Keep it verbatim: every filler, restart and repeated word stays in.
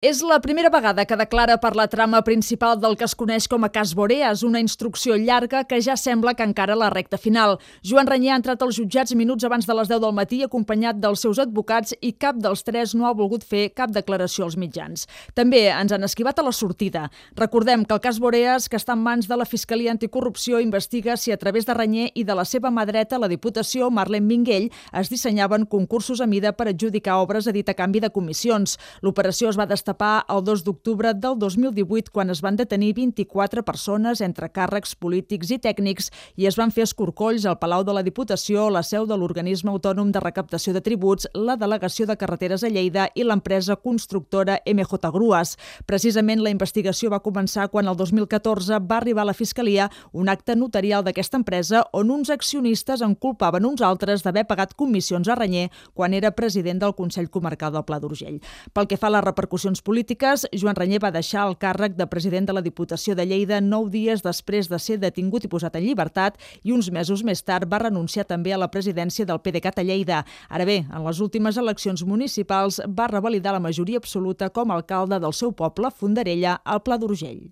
És la primera vegada que declara per la trama principal del que es coneix com a cas Boreas, una instrucció llarga que ja sembla que encara la recta final. Joan Reñé ha entrat als jutjats minuts abans de les deu del matí acompanyat dels seus advocats i cap dels tres no ha volgut fer cap declaració als mitjans. També ens han esquivat a la sortida. Recordem que el cas Boreas, que està en mans de la Fiscalia Anticorrupció, investiga si a través de Reñé i de la seva mà dreta, la Diputació, Marlene Minguell, es dissenyaven concursos a mida per adjudicar obres a dit a canvi de comissions. L'operació es va destapar el dos d'octubre del dos mil divuit, quan es van detenir vint-i-quatre persones entre càrrecs polítics i tècnics i es van fer escorcolls al Palau de la Diputació, la seu de l'Organisme Autònom de Recaptació de Tributs, la Delegació de Carreteres a Lleida i l'empresa constructora M J Grues. Precisament la investigació va començar quan el dos mil catorze va arribar a la Fiscalia un acte notarial d'aquesta empresa on uns accionistes en culpaven uns altres d'haver pagat comissions a Reñé quan era president del Consell Comarcal del Pla d'Urgell. Pel que fa a les repercussions polítiques, Joan Reñé va deixar el càrrec de president de la Diputació de Lleida nou dies després de ser detingut i posat en llibertat i uns mesos més tard va renunciar també a la presidència del PDeCAT a Lleida. Ara bé, en les últimes eleccions municipals va revalidar la majoria absoluta com a alcalde del seu poble, Fondarella, al Pla d'Urgell.